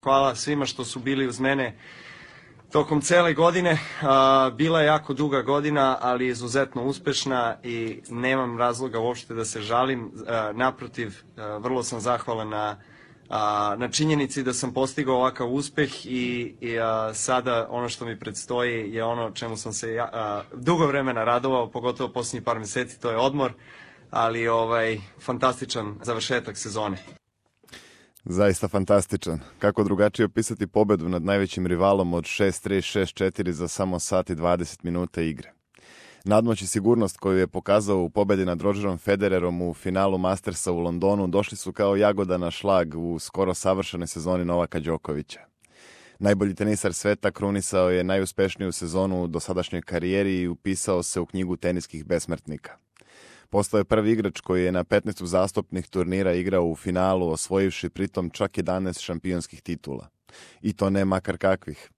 Hvala svima što su bili uz mene tokom cele godine. Bila je jako duga godina, ali izuzetno uspešna i nemam razloga uopšte da se žalim. Naprotiv, vrlo sam zahvalan na činjenici da sam postigao ovakav uspeh i sada ono što mi predstoji je ono čemu sam se dugo vremena radovao, pogotovo posljednjih par meseci, to je odmor, ali fantastičan završetak sezone. Zaista fantastičan. Kako drugačije opisati pobedu nad najvećim rivalom od 6-3, 6-4 za samo sat i 20 minuta igre. Nadmoć i sigurnost koju je pokazao u pobedi nad Rogerom Federerom u finalu Mastersa u Londonu došli su kao jagoda na šlag u skoro savršenoj sezoni Novaka Đokovića. Najbolji tenisar sveta krunisao je najuspešniju sezonu u dosadašnjoj karijeri i upisao se u knjigu teniskih besmrtnika. Postao je prvi igrač koji je na 15 uzastopnih turnira igrao u finalu, osvojivši pritom čak 11 šampionskih titula. I to ne makar kakvih.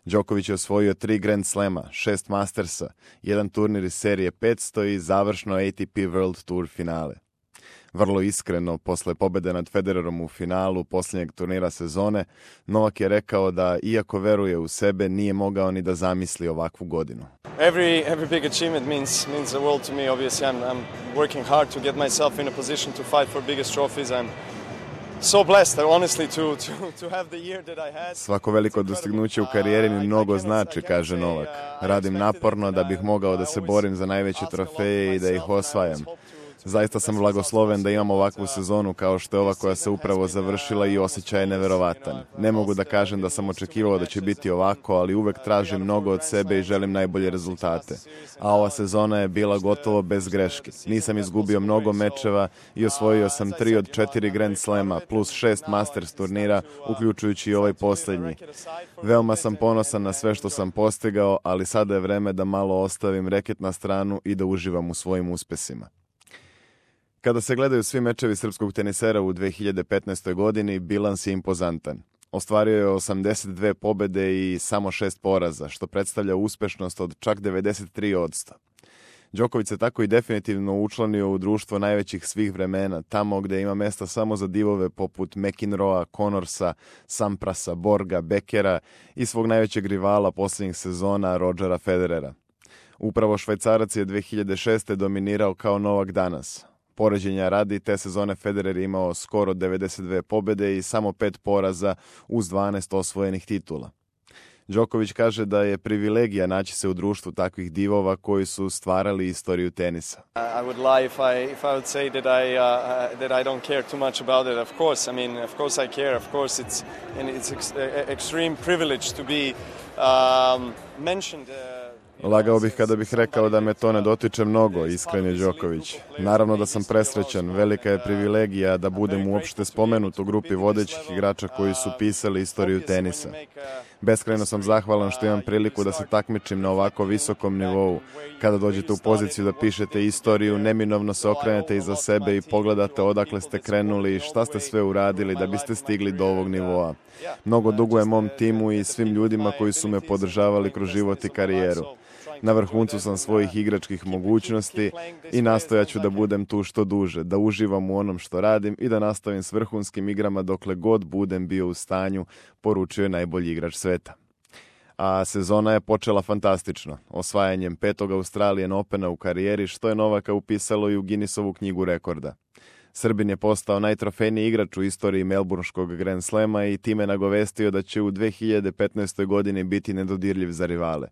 Đoković je osvojio 3 Grand Slema, 6 Mastersa, jedan turnir iz serije 500 i završno ATP World Tour finale. Vrlo iskreno, posle pobede nad Federerom u finalu posljednjeg turnira sezone, Novak je rekao da, iako veruje u sebe, nije mogao ni da zamisli ovakvu godinu. Every big achievement means the world to me. Obviously, I'm working hard to get myself in a position to fight for biggest trophies. I'm so blessed, honestly, to have the year that I had. Svako veliko dostignuće u karijeri mi mnogo znači, kaže Novak. Radim naporno da bih mogao da se borim za najveće trofeje i da ih osvajam. Zaista sam blagosloven da imam ovakvu sezonu kao što je ova koja se upravo završila i osjećaj je neverovatan. Ne mogu da kažem da sam očekivao da će biti ovako, ali uvek tražim mnogo od sebe i želim najbolje rezultate. A ova sezona je bila gotovo bez greške. Nisam izgubio mnogo mečeva i osvojio sam 3 od 4 Grand Slema plus 6 Masters turnira, uključujući i ovaj posljednji. Veoma sam ponosan na sve što sam postigao, ali sada je vreme da malo ostavim reket na stranu i da uživam u svojim uspesima. Kada se gledaju svi mečevi srpskog tenisera u 2015. godini, bilans je impozantan. Ostvario je 82 pobede i samo 6 poraza, što predstavlja uspešnost od čak 93%. Đoković se tako i definitivno učlanio u društvo najvećih svih vremena, tamo gde ima mesta samo za divove poput McEnroea, Connorsa, Samprasa, Borga, Bekera i svog najvećeg rivala posljednjih sezona, Rogera Federera. Upravo Švajcarac je 2006. dominirao kao Novak danas. Poređenja radi, te sezone Federer je imao skoro 92 pobede i samo 5 poraza uz 12 osvojenih titula. Đoković kaže da je privilegija naći se u društvu takvih divova koji su stvarali istoriju tenisa. I would lie if I would say that I don't care too much about it. Of course I care. Of course it's extreme privilege to be mentioned. Lagao bih kada bih rekao da me to ne dotiče mnogo, iskren je Đoković. Naravno da sam presrećan, velika je privilegija da budem uopšte spomenut u grupi vodećih igrača koji su pisali istoriju tenisa. Beskrajno sam zahvalan što imam priliku da se takmičim na ovako visokom nivou. Kada dođete u poziciju da pišete istoriju, neminovno se okrenete iza sebe i pogledate odakle ste krenuli i šta ste sve uradili da biste stigli do ovog nivoa. Mnogo dugujem mom timu i svim ljudima koji su me podržavali kroz život i karijeru. Na vrhuncu sam svojih igračkih mogućnosti i nastojaću da budem tu što duže, da uživam u onom što radim i da nastavim s vrhunskim igrama dokle god budem bio u stanju, poručio je najbolji igrač sveta. A sezona je počela fantastično, osvajanjem 5. Australian Opena u karijeri, što je Novaka upisalo i u Guinnessovu knjigu rekorda. Srbin je postao najtrofejniji igrač u istoriji Melbourneškog Grand Slema i time nagovestio da će u 2015. godini biti nedodirljiv za rivale.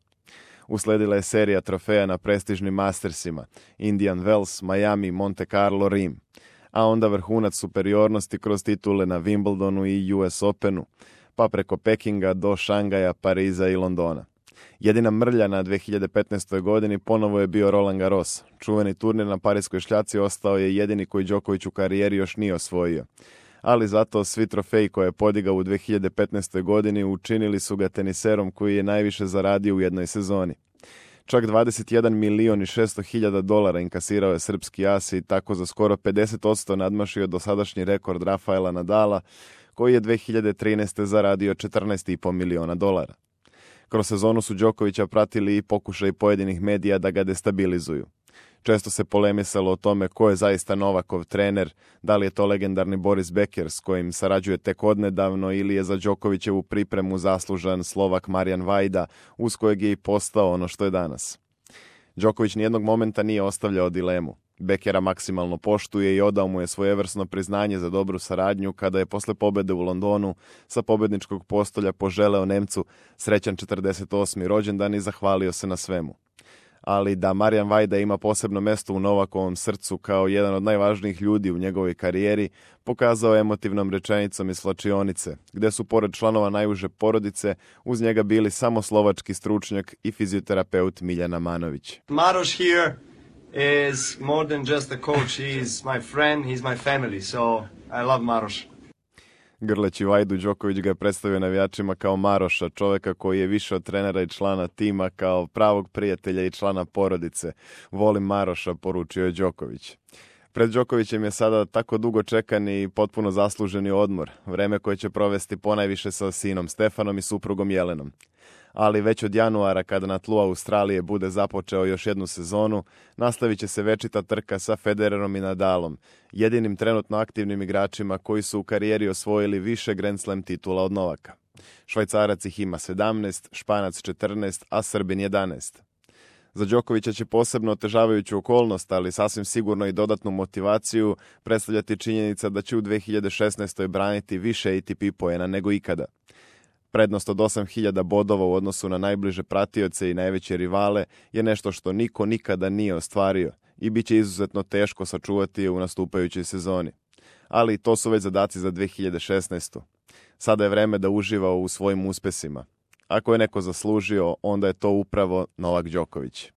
Usledila je serija trofeja na prestižnim Mastersima, Indian Wells, Miami, Monte Carlo, Rim, a onda vrhunac superiornosti kroz titule na Wimbledonu i US Openu, pa preko Pekinga do Šangaja, Pariza i Londona. Jedina mrlja na 2015. godini ponovo je bio Roland Garros. Čuveni turnir na Pariskoj šljaci ostao je jedini koji Đoković u karijeri još nije osvojio. Ali zato svi trofeji koje je podigao u 2015. godini učinili su ga teniserom koji je najviše zaradio u jednoj sezoni. Čak 21 milion i 600 hiljada dolara inkasirao je srpski as i tako za skoro 50% nadmašio dosadašnji rekord Rafaela Nadala, koji je 2013. zaradio 14,5 miliona dolara. Kroz sezonu su Đokovića pratili i pokušaj pojedinih medija da ga destabilizuju. Često se polemisalo o tome ko je zaista Novakov trener, da li je to legendarni Boris Becker s kojim sarađuje tek odnedavno ili je za Đokovićevu pripremu zaslužan Slovak Marijan Vajda, uz kojeg je i postao ono što je danas. Đoković nijednog momenta nije ostavljao dilemu. Beckera maksimalno poštuje i odao mu je svojevrsno priznanje za dobru saradnju kada je posle pobede u Londonu sa pobedničkog postolja poželeo Nemcu srećan 48. rođendan i zahvalio se na svemu. Ali da Marijan Vajda ima posebno mesto u Novakovom srcu kao jedan od najvažnijih ljudi u njegovoj karijeri, pokazao emotivnom rečenicom iz slačionice, gde su pored članova najuže porodice uz njega bili samo slovački stručnjak i fizioterapeut Miljana Manović. Maroš here is more than just a coach. He is my friend, he's my family, so I love Maroš. Grleći Vajdu, Đoković ga je predstavio navijačima kao Maroša, čoveka koji je više od trenera i člana tima, kao pravog prijatelja i člana porodice. Volim Maroša, poručio je Đoković. Pred Đokovićem je sada tako dugo čekan i potpuno zasluženi odmor, vreme koje će provesti ponajviše sa sinom Stefanom i suprugom Jelenom. Ali već od januara, kada na tlu Australije bude započeo još jednu sezonu, nastavit će se večita trka sa Federerom i Nadalom, jedinim trenutno aktivnim igračima koji su u karijeri osvojili više Grand Slam titula od Novaka. Švajcarac ih ima 17, Španac 14, a Srbin 11. Za Đokovića će posebno otežavajuću okolnost, ali sasvim sigurno i dodatnu motivaciju predstavljati činjenica da će u 2016. braniti više ATP poena nego ikada. Prednost od 8000 bodova u odnosu na najbliže pratioce i najveće rivale je nešto što niko nikada nije ostvario i bit će izuzetno teško sačuvati u nastupajućoj sezoni. Ali to su već zadaci za 2016. Sada je vreme da uživa u svojim uspesima. Ako je neko zaslužio, onda je to upravo Novak Đoković.